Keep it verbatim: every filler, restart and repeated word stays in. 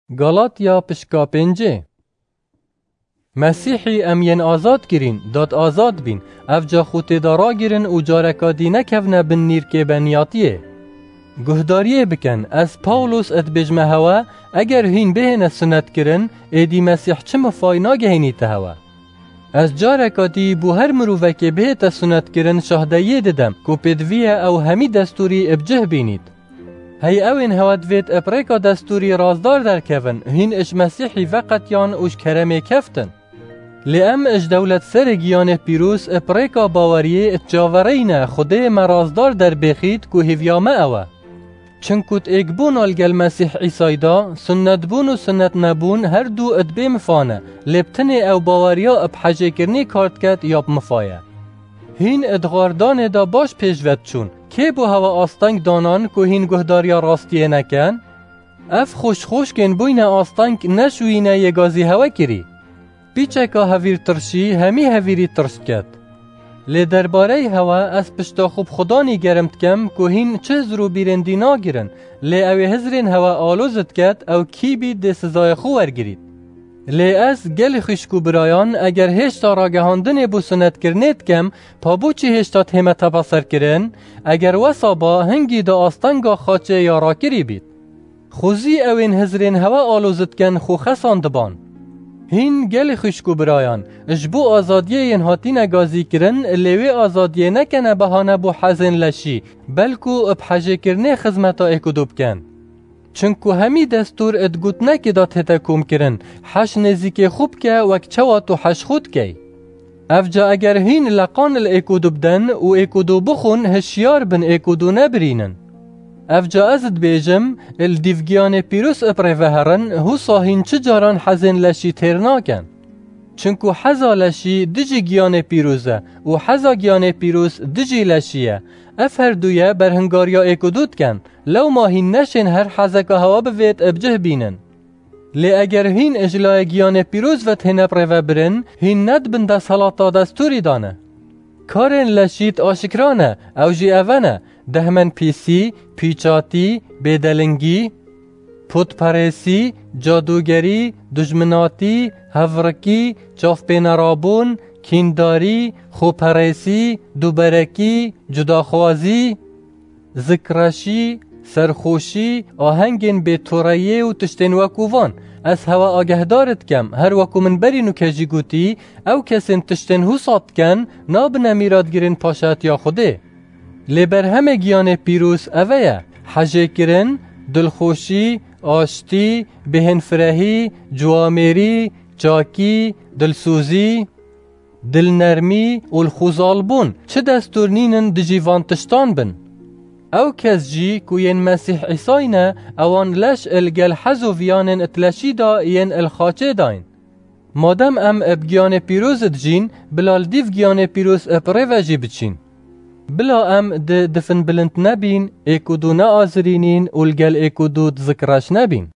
Galatya pişka pêncê. Mesîhî em yên azad kirîn, dat azad bîn. Evca xûtê de ragirin û careka dî nekevne bin nîrkê beniyatiyê. Guhdariyê bikin, ez Pawlos dibêjme hewe, eger hîn bihêne sunet kirin, êdî Mesîh çi mifay nagehînîte hewe. Ez careka dî bo her mirovekê bihête sunet kirin şahdeyiyê didem, ku pêdivî ye ew hemî destûrî bi cih bînît. Hey ewên hewe divêt bi rêka destûrî razdar derkevin, hîn ji Mesîhî veqetiyan û ji keremê keftin. Lê em ji dewlet serê giyanê pîroz bi rêka baweriyê çavereyne Xwedê me razdar derbêxît ku hêviya me ew e. Çinku di êkbûna li gel Mesîh Îsayî de, sunnetbûn û sunnetnebûn her du di bê mifa ne, lê bi tenê ew baweriya bi hejêkirinê kar diket ya bi mifa ye. Hîn di xwardanê de baş pêş ve diçûn. Kê bo hewe asteng danan ku hîn guhdariya rastiyê nekin? Ev xweşxweşkên bûyne asteng ne ji wî ne yê gazî hewe kirî. Pîçeka hevîrtirşî hemî hevîrî tirş diket. Lê derbareyê hewe ez pişta xwe bi Xudanî germ dikem ku hîn çi hizir û bîrên dî nagirin, lê ew ê hizirên hewe aloz diket, ew kî bî dê sizayê xwe wergirît. Lê ez, gelî xwişk û birayan, eger hêşta ragihandinê bo sunetkirinê dikem, pa bo çi hêşta dihême tepaserkirin? Eger wesa ba, hingî di astenga xaçê ya rakirî bît. Xwezî ewên hizirên hewe aloz dikin xwe xesan diban. Hîn gelî xwişk û birayan, ji bo azadiyê yên hatîne gazîkirin, lê wê azadiyê nekene behane bo hezên leşî, belku bi hejêkirinê xizmeta êk û du bikin. Çinku hemî destûr di gotinekê de tête komkirin, heş nêzîkê xwe bike wek çawa tu heş xwe dikey. Evca eger hîn leqan li êk û du bidin û êk û du bixwin, hişyar bin êk û du nebirînin. Evca ez dibêjim, li dîv giyanê pîroz bi rê ve herin, husa hîn çi caran hezên leşî têr nakin. Çinku heza leşî dijî giyanê pîroz e û heza giyanê pîroz dijî leşî ye. Ev her du ye berhingariya êk û du dikin. Lewma hîn neşên her hezeka hewa bivêt bi cih bînin. Lê eger hîn ji layê giyanê pîroz ve têne bi rê ve birin, hîn ne dibin desthilata destûrî de ne. Karên leşî di aşikra ne, ew jî eve ne: dehmenpîsî, pîçatî, bêdelingî, putperêsî, cadûgerî, dujminatî, hevrikî, çavpênerabûn, kîndarî, xweperêsî, duberekî, cudaxwazî, zikreşî, serxoşî, ahengên bêtoreyê û tiştên wekû van. Ez hewe agehdar dikem, her wekû min berî nûke jî gotî, ew kesên tiştên husa dikin, nabine mîratgirên paşatiya Xwedê. Lê berhemê giyanê pîroz eve ye: hejêkirin, dilxweşî, aştî, bêhênfirehî, ciwamêrî, çakî, dilsozî, dilnermî û lixwezalbûn. Çi destûr nînin dijî van tiştan bin? Ew kes jî ku yên Mesîh Îsayî ne, ewan leş li gel hez û viyanên di leşî de yên li xaçê dayîn. Madem em bi giyanê pîroz dijîn, bila li dîv giyanê pîroz bi rê ve jî biçîn. Bila em di difin bilind nebîn, êk û du neazirînîn û li gel êk û du dizikreş nebîn.